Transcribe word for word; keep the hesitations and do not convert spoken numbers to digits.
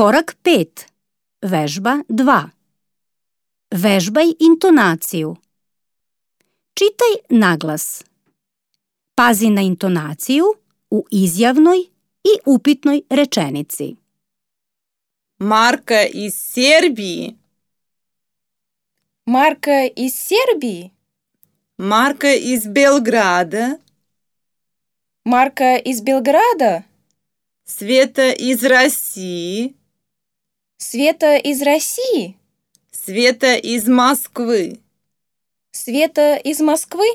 Korak pet. Vežba dva. Vežbaj intonaciju. Čitaj naglas. Pazi na intonaciju u izjavnoj i upitnoj rečenici. Marka iz Serbije. Marka iz Serbije. Marka iz Belgrada. Marka iz Belgrada. Sveta iz России. Sveta iz России. Sveta iz Moskvы. Sveta iz Moskvы.